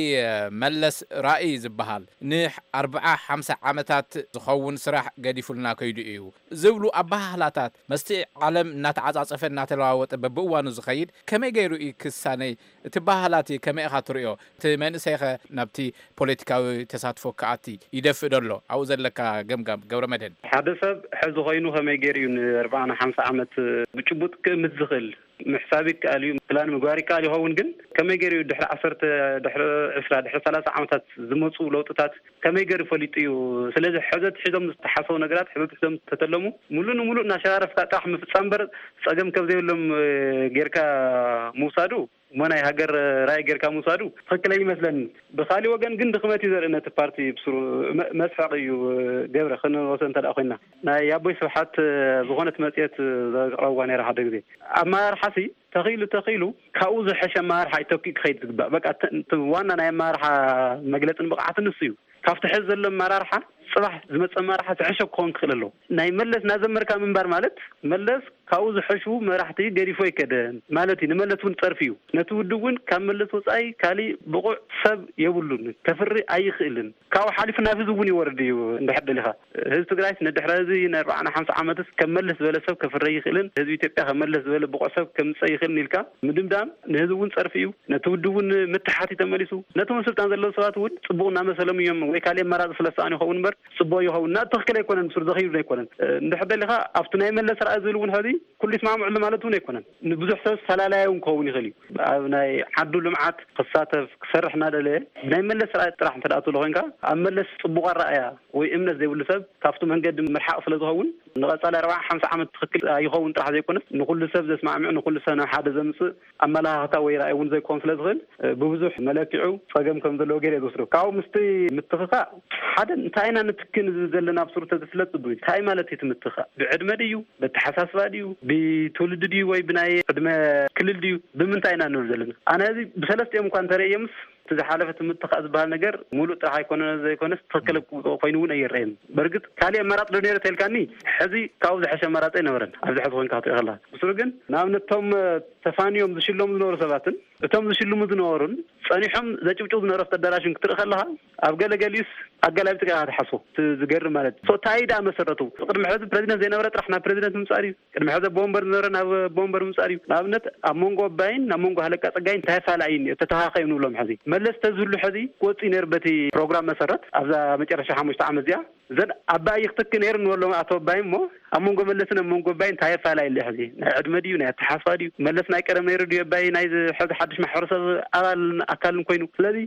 መለስ ራእይ ዝበሃል ንኣርብዓ ሓምሳ ዓመታት ዝኸውን ስራሕ ገዲፉልና ከይዱ እዩ ዝብሉ ኣበሃህላታት መስቲ ዓለም እናተዓፃፀፈ እናተለዋወጠ በብእዋኑ ዝኸይድ ከመይ ገይሩ እዩ ክሳነይ እቲ ባህላት ከመይ ኢኻ ትርእዮ እቲ መንእሰይኸ ናብቲ ፖለቲካዊ ተሳትፎ ክኣቲ ይደፍእ ዶ ኣሎ ኣብኡ ዘለካ ገምጋም ገብረ መድህን? ሓደ ሰብ ሕዚ ኮይኑ ከመይ ገይሩ እዩ ንኣርብዓ ንሓምሳ ዓመት ብጭቡጥ ክእምት ዝኽእል ምሕሳብ ይከኣል እዩ። ፕላን ምግባር ይከኣል ይኸውን፣ ግን ከመይ ገይሩ እዩ ድሕሪ ዓሰርተ፣ ድሕሪ ዕስራ፣ ድሕሪ ሰላሳ ዓመታት ዝመፁ ለውጥታት ከመይ ገይሩ ፈሊጡ እዩ? ስለዚ ሕዘት ሒዞም ዝተሓሰቡ ነገራት፣ ሕዘት ሒዞም ዝተተለሙ ሙሉእ ንሙሉእ እናሸራረፍካ ጥራሕ ምፍፃም እምበር፣ ፀገም ከም ዘይብሎም እ፣ ጌርካ ምውሳዱ፣ እሞ ናይ ሃገር ራእይ ጌርካ ምውሳዱ ትኽክለይ ይመስለኒ። ብኻሊእ ወገን ግን ድኽመት እዩ ዘርኢ ነቲ ፓርቲ ብስሩ። መ- መስሐቕ እዩ። ገብረ፣ ክንወስዶ እንተ ደኣ ኮይና፣ ናይ ኣቦይ ስብሓት ዝኾነት መጽሔት ዘቕረብዋ ነይራ ሓደ ግዜ። ኣመራርሓሲ ተኺሉ ተኺሉ ካብኡ ዝሐሸ ኣመራርሓ እዩ ተኪኡ ክኸይድ ዝግባእ። በቃ እቲ- እቲ ዋና ናይ ኣመራርሓ መግለጽን ብቕዓትን ንሱ እዩ። ካብቲ ሕዚ ዘሎ ኣመራርሓ ጽባሕ ዝመጽእ ኣመራርሓ ዝሐሸ ክኸውን ክኽእል ኣለዎ። ናይ መለስ እናዘመርካ ምንባር ማለት፣ መለስ ካብኡ ዝሐሹ መራሕቲ ገዲፎ ኣይከደን ማለት እዩ። ንመለስ እውን ጸርፊ እዩ። ነቲ ውድብ እውን ካብ መለስ ወጻኢ ካሊእ ብቑዕ ሰብ የብሉን፣ ከፍሪ ኣይኽእልን። ካብኡ ሓሊፉ ናብ ህዝቢ እውን ይወርድ እዩ። እንድሕር ደሊኻ፣ ህዝቢ ትግራይስ ንድሕሪ ህዝቢ ንኣርባዓን ሓምሳን ዓመትስ ከም መለስ ዝበለ ሰብ ከፍሪ ኣይኽእልን፣ ህዝቢ ኢትዮጵያ ከም መለስ ዝበለ ብቑዕ ሰብ ከምፅእ ኣይኽእልን ኢልካ ምድምዳም ንህዝቢ እውን ጸርፊ እዩ። ነቲ ውድብ እውን ምትሓት እዩ ተመሊሱ። ነቶም ኣብ ስልጣን ዘለዉ ሰባት እውን ጽቡቕ እናመሰሎም እዮም፣ ወይ ካሊእ ኣማራጺ ስለ ዝሰኣኑ ይኸውን እምበር፣ ጽቡቕ ይኸውን እና ትኽክል ኣይኮነን፣ ብስሩ ዘኽይዱ ኣይኮነን። እ፣ እንድሕር ደሊኻ ኣብቲ ናይ መለስ ራእይ ዝብል እውን ሕዚ ኩሉ ይስማምዕሉ ማለት እውን ኣይኮነን። ንብዙሕ ሰብ ፈላላያዊ እውን ክኸውን ይኽእል እዩ። ኣብ ናይ ዓዱ ልምዓት ክሳተፍ ክሰርሕ እናደለየ ብናይ መለስ ራእይ ጥራሕ እንተ ደኣ ትብሎ ኮይንካ፣ ኣብ መለስ ጽቡቕ ኣረኣእያ ወይ እምነት ዘይብሉ ሰብ ካብቲ መንገዲ ምርሓቕ ስለ ዝኸውን፣ ንቐጻሊ ኣርባዓ ሓምሳ ዓመት ትኽክል ኣይኸውን ጥራሕ ዘይኮነስ፣ ንኹሉ ሰብ ዘስማዕምዕ፣ ንኹሉ ሰብ ናብ ሓደ ዘምጽእ ኣመለኻኽታ ወይ ራእይ እውን ዘይኮን ስለ ዝኽእል፣ እ፣ ብብዙሕ መለኪዑ ጸገም ከም ዘለዎ ገይረ እየ ዝወስዶ። ካብኡ ምስቲ ምትኽኻእ ሓደ እንታይ ኢና ንትክእ ንብል ዘለና ኣብ ስሩ ተዝፍለጥ ጽቡቅ እዩ። እንታይ ማለት እዩ እቲ ምትኻእ? ብዕድመ ድዩ? በተሓሳስባ ድዩ? ብትውልዲ ድዩ? ወይ ብናይ ዕድመ ክልል ድዩ? ብምንታይ ኢና ንብል ዘለና? ኣነ እዚ ብሰለስቲኦም እኳ እንተርእየምስ እቲ ዝሓለፈ እቲ ምትኻእ ዝበሃል ነገር ሙሉእ ጥራሕ ኣይኮነ ዘይኮነስ ትኽክል ኮይኑ እውን ኣይረኣየን። በርግጥ ካሊእ ኣማራፂ ዶ ነይረ ተልካኒ፣ ሕዚ ካብኡ ዝሐሸ ኣማራፂ ኣይነበረን። ኣብዚ ሕዚ ኮንካ ክትርኢ ከለካ ብስሩ ግን ንኣብነት እቶም ተፋንዮም ዝሽለሙ ዝነበሩ ሰባትን እቶም ዝሽልሙ ዝነበሩን ጸኒሖም ዘጭብጭቡ ዝነበሩ ኣብቲ ኣዳራሽን ክትርኢ ከለኻ፣ ኣብ ገለ ገሊኡስ ኣገላቢጥካ ኢኻ ትሓስቦ። እቲ ዝገርም ማለት እዩ። ሶ፣ እንታይ ደኣ መሰረቱ? ቅድሚ ሕዚ ፕረዚደንት ዘይነበረ ጥራሕ ናብ ፕረዚደንት ምምጻእ ድዩ? ቅድሚ ሕዚ ኣቦ ወንበር ዝነበረ ናብ ኣቦ ወንበር ምምጻእ ድዩ? ንኣብነት፣ ኣብ መንጎ ኣባይን ናብ መንጎ ሃለቃ ጸጋይን እንታይ ፈላለ እዩ? ተተኻኸዩ ንብሎም ሕዚ። መለስ ተዝህሉ ሕዚ ክወጽእ እዩ ነይሩ በቲ ፕሮግራም መሰረት ኣብዛ መጨረሻ ሓሙሽተ ዓመት እዚኣ። እዘን ኣባይ ይኽትክ ነይሩ ንበሎም ኣቶ ኣባይ እሞ፣ ኣብ መንጎ መለስን ኣብ መንጎ ኣባይን እንታይ ኣፈላላይ ኣሎ ሕዚ? ናይ ዕድመ ድዩ? ናይ ኣተሓሳስባ ድዩ? መለስ ናይ ቀደም ነይሩ ድዩ ኣባይ ናይዚ ሕዚ ሓድሽ ማሕበረሰብ ኣባልን ኣካልን ኮይኑ? ስለዚ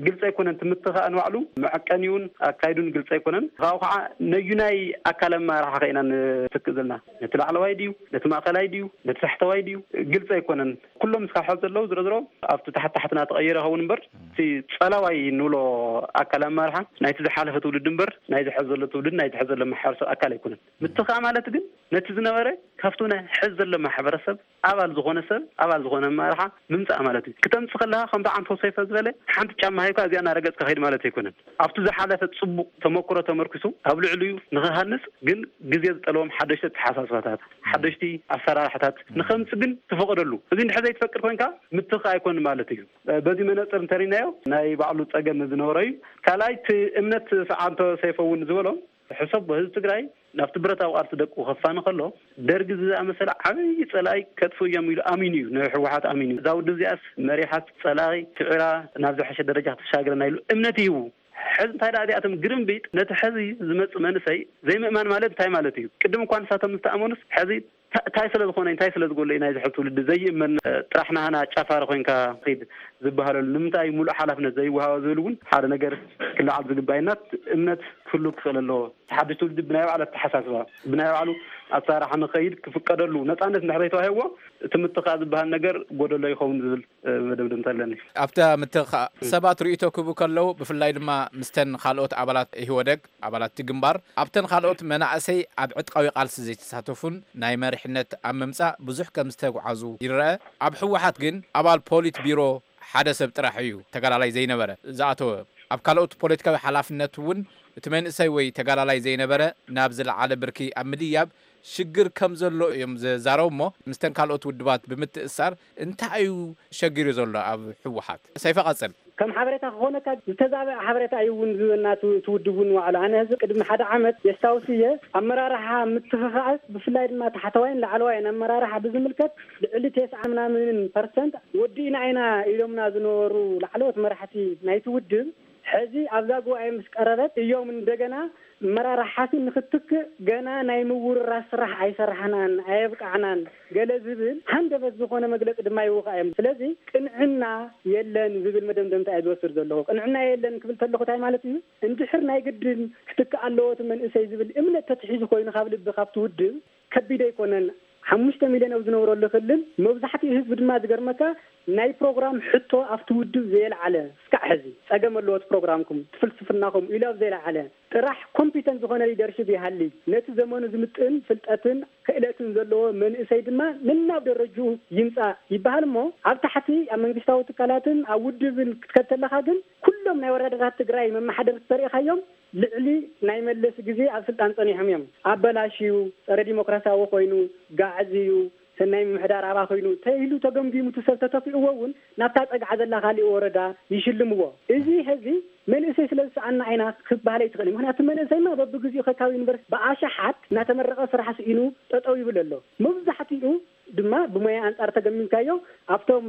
ግልፂ ኣይኮነን። እቲ ምትኻእ ንባዕሉ መዐቀኒውን ኣካይዱን ግልፂ ኣይኮነን። ካብኡ ከዓ ነዩናይ ኣካል ኣመራርሓ ከ ኢና ንትክእ ዘለና? ነቲ ላዕለዋይ ድዩ? ነቲ ማእኸላይ ድዩ? ነቲ ታሕተዋይ ድዩ? ግልፂ ኣይኮነን። ኩሎም እስካብ ሕዚ ዘለዉ ዝሮ ዝሮ ኣብቲ ታሕቲ ታሕትና ተቐይረ ይኸውን እምበር፣ እቲ ጸላዋይ እንብሎ ኣካል ኣመራርሓ ናይቲ ዝሓለፈ ትውልዲ እምበር፣ ናይዚ ሕዚ ዘሎ ትውልዲ፣ ናይቲ ሕዚ ዘሎ ማሕበረሰብ ኣካል ኣይኮነን። ምትኻእ ማለት ግን ነቲ ዝነበረ ካብቲ ናይ ሕዚ ዘሎ ማሕበረሰብ ኣባል ዝኾነ ሰብ፣ ኣባል ዝኾነ ኣመራርሓ ምምጻእ ማለት እዩ። ክተምጽእ ከለኻ ከምቲ ዓንቶ ሰይፈ ዝበለ ሓንቲ ጫማ ሃይኳ እዚኣ እናረገጽካ ከይድ ማለት ኣይኮነን። ኣብቲ ዝሓለፈ ጽቡቕ ተመክሮ ተመርኪሱ ኣብ ልዕሊኡ ንኽሃንጽ ግን ግዜ ዝጠልቦም ሓደሽቲ ኣተሓሳስባታት፣ ሓደሽቲ ኣሰራርሓታት ንኸምጽእ ግን ትፈቕደሉ። እዚ እንድሕር ዘይትፈቅድ ኮይንካ ምትኻእ ኣይኮን ማለት እዩ። በዚ መነጽር እንተሪናዮ ናይ ባዕሉ ጸገም ዝነበሮ እዩ። ካልኣይ እቲ እምነት ሰዓንቶ ሰይፈ እውን ዝበሎ ሕሰብ ህዝቢ ትግራይ ናብቲ ብረታዊ ቃልሲ ደቁ ከፋኒ ከሎ ደርጊ ዝኣመሰለ ዓብዪ ጸላኢ ከጥፍኡ እዮም ኢሉ ኣሚኑ እዩ፣ ንህወሓት ኣሚኑ እዩ። እዛ ውድብ እዚኣስ መሪሓት ጸላኢ ስዒራ ናብ ዝሐሸ ደረጃ ክትሻግረና ኢሉ እምነት ይህቡ። ሕዚ እንታይ ደኣ እዚኣቶም ግርምቢጥ ነቲ ሕዚ ዝመጽእ መንእሰይ ዘይምእማን ማለት እንታይ ማለት እዩ? ቅድም እኳ ንሳቶም ዝተኣመኑስ ሕዚ ታ- እንታይ ስለ ዝኾነ እንታይ ስለ ዝጎሎ እዩ ናይዚ ሕዚ ትውልዲ ዘይእመን እ፣ ጥራሕ ናህና ጫፋሪ ኮይንካ ኺድ ዝበሃለሉ ንምንታይ ሙሉእ ሓላፍነት ዘይወሃቦ ዝብል እውን ሓደ ነገር ክለዓል ዝግባእ እዩ። እና እምነት ክህሉ ክኽእል ኣለዎ። እቲ ሓድሽ ትውልዲ ብናይ ባዕሉ ኣተሓሳስባ ብናይ ባዕሉ ኣሰራርሓ ንኸይድ ክፍቀደሉ ነፃነት እንድሕር ዘይተዋሂብዎ እቲ ምትኻእ ዝበሃል ነገር ጎደሎ ይኸውን ዝብል እ፣ መደምደምታ ኣለኒ። ኣብታ ምትኻእ ሰባት ርእይቶ ክህቡ ከለዉ ብፍላይ ድማ ምስተን ካልኦት ኣባላት ኢህወደግ ኣባላት እቲ ግንባር ኣብተን ካልኦት መናእሰይ ኣብ ዕጥቃዊ ቃልሲ ዘይተሳተፉን ናይ መሪሕነት ኣብ ምምጻእ ብዙሕ ከም ዝተጓዓዙ ይረአ። ኣብ ህወሓት ግን ኣባል ፖሊት ቢሮ ሓደ ሰብ ጥራሕ እዩ ተጋዳላይ ዘይነበረ ዝኣተወ። ኣብ ካልኦት ፖለቲካዊ ሓላፍነት እውን እቲ መንእሰይ ወይ ተጋዳላይ ዘይነበረ ናብ ዝለዓለ ብርኪ ኣብ ምድያብ ሽግር ከም ዘሎ እዮም ዝዛረቡ እሞ ምስተን ካልኦት ውድባት ብምትእሳር እንታይ እዩ ሸጊሩ ዘሎ ኣብ ህወሓት? ሰይፈ ቀጽል። ከም ሓበሬታ ክኾነካ ዝተዛበዐ ሓበሬታ እዩ እውን ዝህበና እቲ እቲ ውድብ እውን ዋዕላ። ኣነ ህዚ ቅድሚ ሓደ ዓመት የስታውስ እየ ኣመራርሓ ምትኽኻእስ ብፍላይ ድማ ታሕተዋይን ላዕለዋይን ኣመራርሓ ብዝምልከት ልዕሊ ተስዓ ምናምን ፐርሰንት ወዲእና ኢና ኢሎምና ዝነበሩ ላዕለዎት መራሕቲ ናይቲ ውድብ ሕዚ ኣብዛ ጉባኤ ምስ ቀረበት እዮም እንደገና መራርሓሲ ንክትክእ ገና ናይ ምውርራስ ስራሕ ኣይሰራሕናን፣ ኣየብቃዕናን ገለ ዝብል ሃንደበት ዝኾነ መግለፂ ድማ ይውካ እዮም። ስለዚ ቅንዕና የለን ዝብል መደምደምታ እየ ዝወስድ ዘለኹ። ቅንዕና የለን ክብል ተለኹ እንታይ ማለት እዩ? እንድሕር ናይ ግድን ክትክእ ኣለዎ እቲ መንእሰይ ዝብል እምነት ተትሒዙ ኮይኑ ካብ ልቢ ካብቲ ውድብ ከቢድ ኣይኮነን። ሓሙሽተ ሚልዮን ኣብ ዝነብረሉ ክልል መብዛሕትኡ ህዝቢ ድማ ዝገርመካ ናይ ፕሮግራም ሕቶ ኣብቲ ውድብ ዘየልዓለ እስካዕ ሕዚ ጸገም ኣለዎ እቲ ፕሮግራምኩም፣ እቲ ፍልስፍናኹም ኢሉ ኣብ ዘየልዓለ ጥራሕ ኮምፒተንት ዝኾነ ሊደርሽፕ ይሃሊ፣ ነቲ ዘመኑ ዝምጥን ፍልጠትን ክእለትን ዘለዎ መንእሰይ ድማ ነናብ ደረጅኡ ይምጻእ ይበሃል እሞ ኣብ ታሕቲ ኣብ መንግስታዊ ትካላትን ኣብ ውድብን ክትከድ ተለኻ ግን ኩሎም ናይ ወረዳታት ትግራይ መመሓደርቲ ተሪእኻዮም ልዕሊ ናይ መለስ ግዜ ኣብ ስልጣን ጸኒሖም እዮም። ኣበላሽዩ፣ ጸረ ዲሞክራሲያዊ ኮይኑ፣ ጋዕዝዩ፣ ሰናይ ምምሕዳር ኣባ ኮይኑ ተይሉ ተገምጊሙ እቲ ሰብ ተተኪእዎ እውን ናብታ ጸግዓ ዘላ ካሊእ ወረዳ ይሽልምዎ። እዚ ሕዚ መንእሰይ ስለ ዝሰኣና ኢና ክበሃል ኣይትኽእል። ምክንያቱ መንእሰይማ በብግዚኡ ከካብ ዩኒቨርሲቲ ብኣሽሓት እናተመረቐ ስራሕ ስኢኑ ጠጠው ይብል ኣሎ። መብዛሕትኡ ድማ ብሞያ ኣንጻር ተገምጊምካዮ ኣብቶም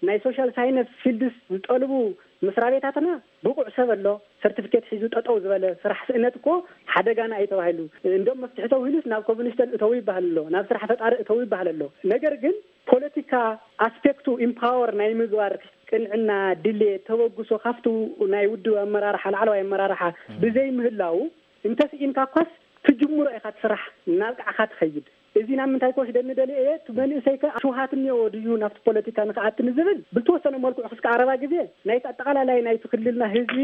ናይ ሶሻል ሳይንስ ፊልድስ ዝጠልቡ መስሪያ ቤታትና ብቑዕ ሰብ ኣሎ። ሰርቲፊኬት ሒዙ ጠጠው ዝበለ ስራሕ ስእነት እኮ ሓደጋና እዩ ተባሂሉ። እንደም መፍትሒ ተውሂሉስ ናብ ኮሚኒስተን እተው ይበሃል ኣሎ፣ ናብ ስራሕ ፈጣሪ እተው ይበሃል ኣሎ። ነገር ግን ፖለቲካ ኣስፔክቱ ኢምፓወር ናይ ምግባር ቅንዕና፣ ድሌት፣ ተበግሶ ካብቲ ናይ ውድብ ኣመራርሓ፣ ላዕለዋይ ኣመራርሓ ብዘይ ምህላው እንተስኢንካ እኳስ ትጅምሮ ኢኻ እቲ ስራሕ እናብቃዕካ ትኸይድ። እዚ ናብ ምንታይ ክወስደኒ ደልየ እየ? እቲ መንእሰይ ከ ሽውሃት እኒኦዎ ድዩ ናብቲ ፖለቲካ ንክኣቲ ንዝብል ብልተወሰነ መልክዑ ክስካ ቀረባ ግዜ ናይቲ ኣጠቓላላይ ናይቲ ክልልና ህዝቢ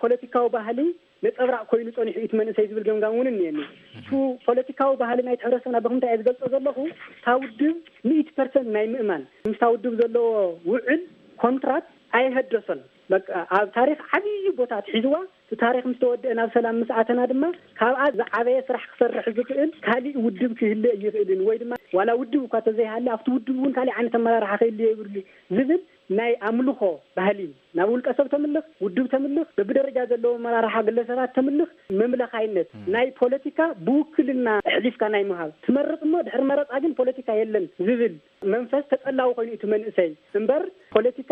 ፖለቲካዊ ባህሊ ነጸብራቕ ኮይኑ ጸኒሑ እዩ እቲ መንእሰይ ዝብል ገምጋም እውን እኒአኒ። እቱ ፖለቲካዊ ባህሊ ናይቲ ሕብረተሰብና ብክምታይ እየ ዝገልጾ ዘለኹ? እታ ውድብ ሚእቲ ፐርሰንት ናይ ምእማን ምስታ ውድብ ዘለዎ ውዕል ኮንትራት ኣይሀደሶን። በቃ ኣብ ታሪኽ ዓብዪ ቦታ ኣትሒዝዋ። እቲ ታሪኽ ምስ ተወደአ ናብ ሰላም ምስ ኣተና ድማ ካብኣ ዝዓበየ ስራሕ ክሰርሕ ዝኽእል ካሊእ ውድብ ክህልእ ይኽእልን ወይ ድማ ዋላ ውድብ እኳ ተዘይሃለ ኣብቲ ውድብ እውን ካሊእ ዓይነት ኣመራርሓ ክህልእ የብሉ ዝብል ናይ ኣምልኾ ባህሊ ናብ ውልቀ ሰብ ተምልኽ፣ ውድብ ተምልኽ፣ በብደረጃ ዘለዎ ኣመራርሓ ግለሰባት ተምልኽ መምለኻይነት ናይ ፖለቲካ ብውክልና ኣሕሊፍካ ናይ ምሃብ ትመርጽ እሞ ድሕሪ መረጻ ግን ፖለቲካ የለን ዝብል መንፈስ ተጸላዊ ኮይኑ እቲ መንእሰይ እምበር ፖለቲካ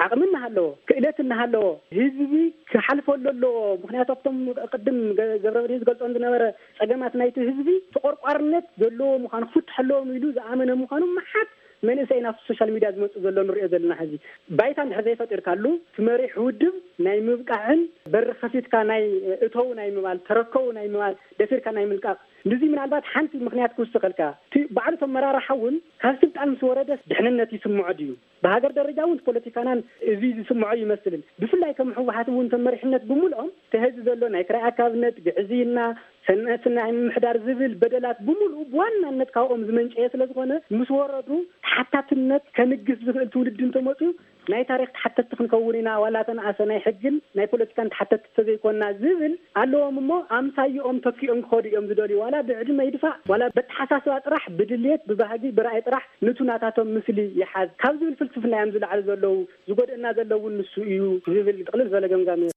ዓቕሚ እናሃለዎ ክእለት እናሃለዎ ህዝቢ ክሓልፈሉ ኣለዎ። ምክንያቱ ኣብቶም ቅድም ገ- ገብረመድህን ዝገልጾም ዝነበረ ጸገማት ናይቲ ህዝቢ ተቆርቋርነት ዘለዎ ምዃኑ ክፍትሐለዎም ኢሉ ዝኣመነ ምዃኑ መዓት መንእሰይ ናብቲ ሶሻል ሚድያ ዝመጽእ ዘሎ ንሪኦ ዘለና ሕዚ ባይታ እንድሕር ዘይፈጢርካሉ እቲ መሪሕ ውድብ ናይ ምብቃዕን በሪ ከፊትካ ናይ እተው ናይ ምባል ተረከቡ ናይ ምባል ደፊርካ ናይ ምልቃቕ ንዚ ምናልባት ሓንቲ ምክንያት ክውስኸልካ እቲ ባዕሉ ተመራርሓ እውን ካብ ስልጣን ምስ ወረደስ ድሕንነት ይስምዖ ድዩ? ብሃገር ደረጃ እውን ፖለቲካናን እዚ ዝስምዖ ይመስልን ብፍላይ ከም ህወሓት እውን ተመሪሕነት ብምልኦም ተህዚ ዘሎ ናይ ክራይ ኣካብነት ግዕዝይና ሰነስና ናይ ምምሕዳር ዝብል በደላት ብምሉኡ ብዋናነት ካብኦም ዝመንጨየ ስለ ዝኾነ ምስ ወረዱ ተሓታትነት ከንግስ ዝኽእል ትውልዲ እንተመፅኡ ናይ ታሪክ ተሓተቲ ክንከውን ኢና ዋላ ተነኣሰ ናይ ሕግን ናይ ፖለቲካን ተሓተቲ ተዘይኮንና ዝብል ኣለዎም እሞ ኣምሳይኦም ተኪኦም ክኸዱ እዮም ዝደልዩ ዋላ ብዕድመ ይድፋእ ዋላ በተሓሳስባ ጥራሕ ብድልየት ብባህጊ ብራእይ ጥራሕ ንቱ ናታቶም ምስሊ ይሓዝ ካብ ዝብል ፍልስፍና እዮም ዝለዓሉ ዘለዉ ዝጎድእና ዘለውን ንሱ እዩ ዝብል ጥቕልል ዝበለ ገምጋም እዩ።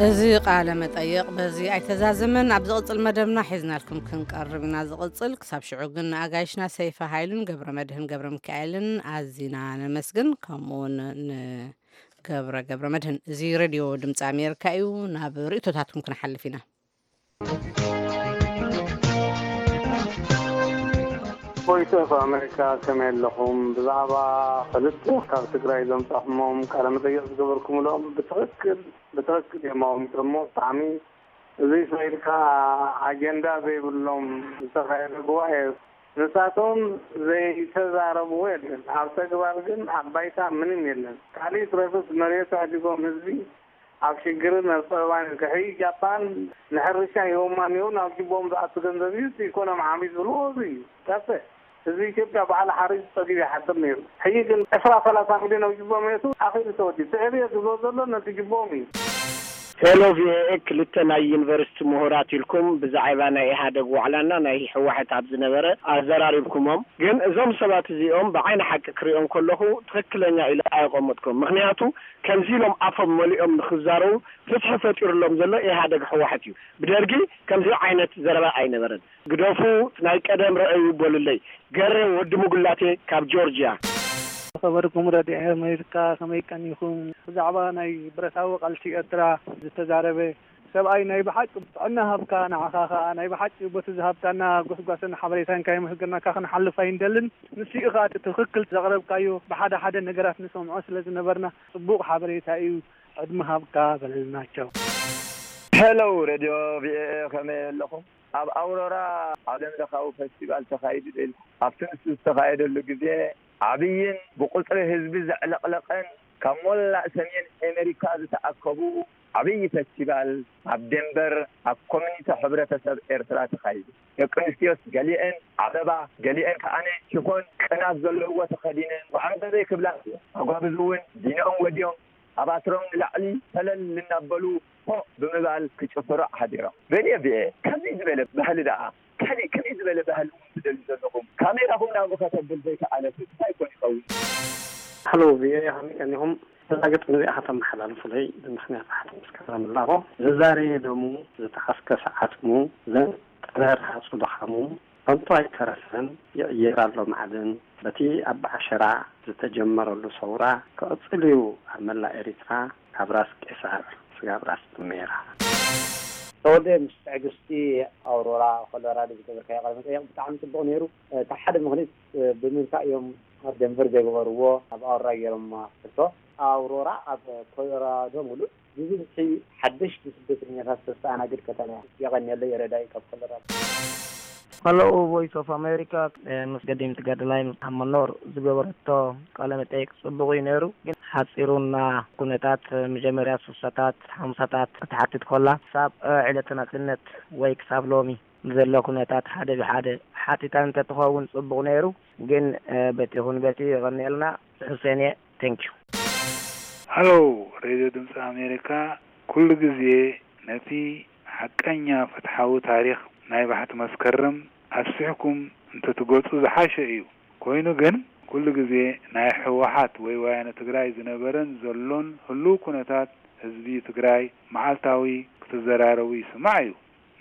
እዚ ቃለ መጠይቕ በዚ ኣይተዛዘመን ኣብ ዝቕጽል መደብና ሒዝናልኩም ክንቀርብ ኢና ዝቕጽል ክሳብ ሽዑ ግን ንኣጋይሽና ሰይፈ ሃይሉን ገብረ መድህን ገብረ ሚካኤልን ኣዚና ነመስግን ከምኡውን ንገብረ ገብረ መድህን እዚ ሬድዮ ድምፂ ኣሜሪካ እዩ ናብ ርእቶታትኩም ክንሓልፍ ኢና። ቮይስ ኦፍ ኣሜሪካ ከመይ ኣለኹም? ብዛዕባ ክልተ ካብ ትግራይ ዘምጻኹሞም ቃለ መጠይቕ ዝገበርኩምሎም ብትኽክል ብትኽክል እዮም ኣቐሚጦሞ። ብጣዕሚ እዚ ስለ ኢልካ ኣጀንዳ ዘይብሎም ዝተኻየደ ጉባኤ ንሳቶም ዘይተዛረብዎ የለን። ኣብ ተግባር ግን ኣብ ባይታ ምንም የለን። ካሊእ ትረፍስ መሬት ኣሕዲጎም ህዝቢ ኣብ ሽግርን ኣብ ጸበባን ይርከቡ። ሕጂ ጃፓን ንሕርሻ ሂቦማ እኒሀው፣ ናብ ጅቦኦም ዝኣቱ ገንዘብ እዩ፣ እቲ ኢኮኖሚ ዓብዩ ዝብልዎ እዚ እዩ። ጠፍእ። ህዝቢ ኢትዮጵያ በዓል ሓሪሱ ጸጊቡ ይሓድር ነይሩ። ሕጂ ግን ዕስራ ሰላሳ ሚልዮን ኣብ ጅቦኦም የእቱ፣ ኣኺሉ ተወዲኡ። እቲ ዕብየት ዝብሎ ዘሎ ነቲ ጅቦኦም እዩ። ሄሎ ቪኦኤ፣ ክልተ ናይ ዩኒቨርሲቲ ምሁራት ኢልኩም ብዛዕባ ናይ ኢህኣደግ ዋዕላና ናይ ህወሓት ኣብ ዝነበረ ኣዘራሪብኩሞም። ግን እዞም ሰባት እዚኦም ብዓይኒ ሓቂ ክሪኦም ከለኹ ትኽክለኛ ኢለ ኣየቐምጥኩም። ምኽንያቱ ከምዚ ኢሎም ኣፎም መሊኦም ንኽዛረቡ ፍትሒ ፈጢሩሎም ዘሎ ኢህኣደግ ህወሓት እዩ። ብደርጊ ከምዚ ዓይነት ዘረባ ኣይነበረን። ግደፉ ናይ ቀደም ርኣዩ በሉለይ። ገሬ ወዲ ሙጉላቴ ካብ ጆርጅያ። ዝኸበርኩም ረድዮ ኣሜሪካ፣ ከመይ ቀኒኹም? ብዛዕባ ናይ ብረታዊ ቃልሲ ኤርትራ ዝተዛረበ ሰብኣይ፣ ናይ ብሓቂ ጥዕና ሃብካ፣ ንዓኻ ኸኣ ናይ ብሓቂ በቲ ዝሃብካና ጎስጓስን ሓበሬታን ከየመስገናካ ክንሓልፍ ኣይንደልን። ንሱ እዩ ኸኣ እቲ ትኽክል ዘቕረብካዮ፣ ብሓደ ሓደ ነገራት ንሰምዖ ስለ ዝነበርና ጽቡቕ ሓበሬታ እዩ። ዕድመ ሃብካ በለልናቸው። ሄሎ፣ ሬድዮ ቪኦኤ፣ ከመይ ኣለኹም? ኣብ ኣውሮራ ዓለም ለኻዊ ፈስቲቫል ተኻይዱ ኢልካ ኣብቲ ንሱ ዝተኻየደሉ ግዜ፣ ዓብይን ብቁፅሪ ህዝቢ ዘዕለቕለቐን ካብ ሞላእ ሰሜን ኣሜሪካ ዝተኣከቡ ዓብይ ፈስቲቫል ኣብ ዴንቨር ኣብ ኮሚኒቲ ሕብረተሰብ ኤርትራ ተኻይዱ። ደቂ ኣንስትዮስ ገሊአን ዓለባ፣ ገሊአን ከዓነ ሽፎን ቅናት ዘለውዎ ተኸዲነን ዋዕሮ በበይ ክብላ፣ ኣጓብዝ እውን ዲንኦም ወዲኦም ኣባትሮም ንላዕሊ ሰለል እናበሉ ሆ ብምባል ክጭፍሩ ሓዲሮም። ሬድዮ ቪኦኤ፣ ከመይ ዝበለ ባህሊ ደኣ? ካልእ ከመይ ዝበለ ባህሊ እውን ትደልዩ ዘለኹም? ካሜራኹም ናብኡ ከተብል ዘይከኣለስ እንታይ ኮን ይኸውን? ሃሎ ቪኦኤ፣ ከመይ ቀኒኹም? እዛ ግጥሚ እዚኣ ከተመሓላልፉለይ ብምኽንያት ሓቲ መስከረም ላቦ፣ ዘዛረየ ደሙ፣ ዝተኸስከሰ ዓጽሙ፣ ዘንጠረ ርሃጹ ድኻሙ፣ ከንቱ ኣይተረፈን፣ ይቕየር ኣሎ ማዕድን። በቲ ኣብ ዓሸራ ዝተጀመረሉ ሰውራ ክቕጽል እዩ ኣብ መላእ ኤሪትራ፣ ካብ ራስ ቄሳር ስጋብ ራስ ጥሜራ። ተወልደ፣ ምስ ትዕግስቲ ኣውሮራ ኮሎራዶ ዝገበርካዮ ቃለ መጠየቕ ብጣዕሚ ጽቡቕ ነይሩ። እቲ ሓደ ምኽንያት ብምንታይ እዮም ኣብ ደንቨር ዘይገበርዎ፣ ኣብ ኣውሮራ ገይሮማ ሕቶ። ኣውሮራ ኣብ ኮሎራዶ ምሉእ ብብዝሒ ሓደሽቲ ስደተኛታት ተስተኣናግድ ከተማ እያ። የቐንየለይ፣ ረዳኢ ካብ ኮሎራዶ። Hello Voice of America፣ ምስ ገዲም ትገድላይ ኣብ መኖር ዝገበረቶ ቃለ መጠይቅ ጽቡቕ እዩ ነይሩ፣ ግን ሓጺሩና። ኩነታት መጀመርያ ስሳታት ሓምሳታት ክትሓትት ኮላ፣ ሳብ ዕለተ ናጽነት ወይ ክሳብ ሎሚ ዘሎ ኩነታት ሓደ ብሓደ ሓቲታ እንተትኸውን ጽቡቕ ነይሩ፣ ግን በቲ ይኹን በቲ የቐንየልና። ሕሴን እየ። Thank you። ሃሎ ሬድዮ ድምፂ ኣሜሪካ፣ ኩሉ ግዜ ነቲ ሓቀኛ ፍትሓዊ ታሪኽ ናይ ባሕቲ መስከረም ኣስፊሕኩም እንተትገልፁ ዝሓሸ እዩ። ኮይኑ ግን ኩሉ ግዜ ናይ ህወሓት ወይ ወያነ ትግራይ ዝነበረን ዘሎን ህሉው ኩነታት ህዝቢ ትግራይ መዓልታዊ ክትዘራረቡ ይስማዕ እዩ።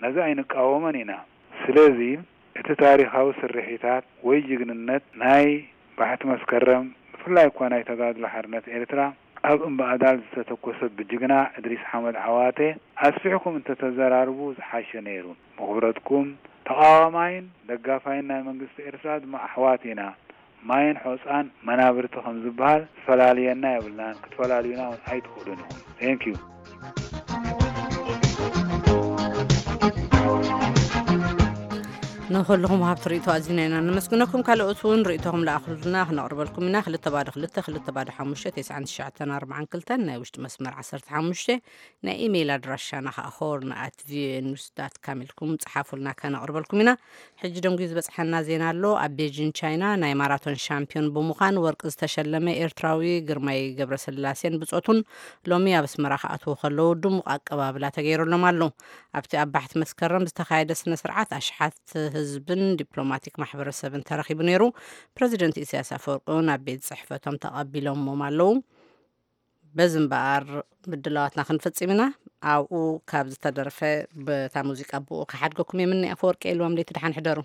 ነዚ ኣይንቃወሞን ኢና። ስለዚ እቲ ታሪኻዊ ስርሒታት ወይ ጅግንነት ናይ ባሕቲ መስከረም ብፍላይ እኳ ናይ ተጋድሎ ሓርነት ኤርትራ ኣብ እምባኣዳል ዝተተኮሰ ብጅግና እድሪስ ሓመድ ዓዋተ ኣስፊሕኩም እንተተዘራርቡ ዝሓሸ ነይሩ። ብኽብረትኩም ተቓዋማይን ደጋፋይን ናይ መንግስቲ ኤርትራ ድማ ኣሕዋት ኢና። ማይን ሑጻን መናብርቲ ከም ዝበሃል ዝፈላልየና የብልናን፣ ክትፈላልዩና እውን ኣይትኽእሉን ኢኹም። Thank you። ንኹልኹም ሃብቲ ርእይቶ ኣዚና ኢና ነመስግነኩም። ካልኦት እውን ርእይቶኹም ለኣኹልና ክነቕርበልኩም ኢና። ክልተ ባዶ ክልተ ክልተ ባዶ ሓሙሽተ ተስዓን ትሽዓተን ኣርባዓን ክልተን ናይ ውሽጢ መስመር ዓሰርተ ሓሙሽተ ናይ ኢሜይል ኣድራሻና ከዓ ሆርን ኣት ቪኦኤ ኒውስ ዳት ካም ኢልኩም ጸሓፉልና ከነቕርበልኩም ኢና። ሕጂ ደንጉዩ ዝበጽሓና ዜና ኣሎ። ኣብ ቤጂን ቻይና ናይ ማራቶን ሻምፒዮን ብምዃን ወርቂ ዝተሸለመ ኤርትራዊ ግርማይ ገብረስላሴን ብጾቱን ሎሚ ኣብ ኣስመራ ክኣትዉ ከለዉ ድሙቕ ኣቀባብላ ተገይሩሎም ኣሎ። ኣብቲ ኣብ ባሕቲ መስከረም ዝተኻየደ ስነ ስርዓት ኣሽሓት ህዝብን ዲፕሎማቲክ ማሕበረሰብን ተረኺቡ ነይሩ። ፕረዚደንት ኢሳያስ ኣፈወርቂ እውን ኣብ ቤት ጽሕፈቶም ተቐቢሎሞም ኣለዉ። በዚ እምበኣር ምድላዋትና ክንፍጽም ኢና። ኣብኡ ካብ ዝተደርፈ በታ ሙዚቃ ብኡ ክሓድገኩም እየ። ምኒ ኣፈወርቂ ኢልዎም ለይቲ ደሓን ሕደሩ።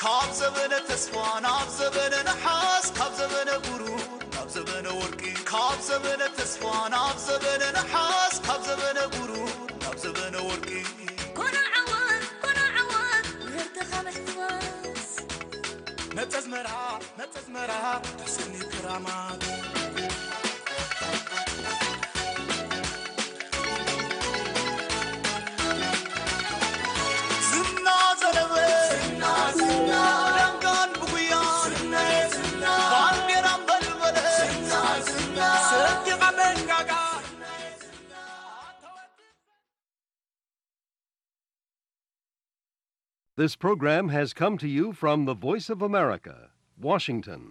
ካብ ዘበነ ተስፋ ናብ ዘበነ ነሓስ፣ ካብ ዘበነ ብሩር ናብ ዘበነ ወርቂ፣ ካብ ዘበነ ተስፋ ናብ ዘበነ ነሓስ፣ ካብ ዘበነ ብሩር ናብ ዘበነ ወርቂ። ጎና ዓወት፣ ጎና ዓወት፣ ምህርትኻ ምሕፋስ። ነጸዝመራ፣ ነጸዝመራ፣ ተሰኒ ክራማት። ዝና ዘለወ፣ ዝና፣ ዝና፣ ደንጋን ብጉያ፣ ዝና፣ ዝና፣ ባንዴራ ኣንበልበለ፣ ዝና፣ ዝና፣ ሰንዲቓ መንጋጋ። This program has come to you from the Voice of America, Washington.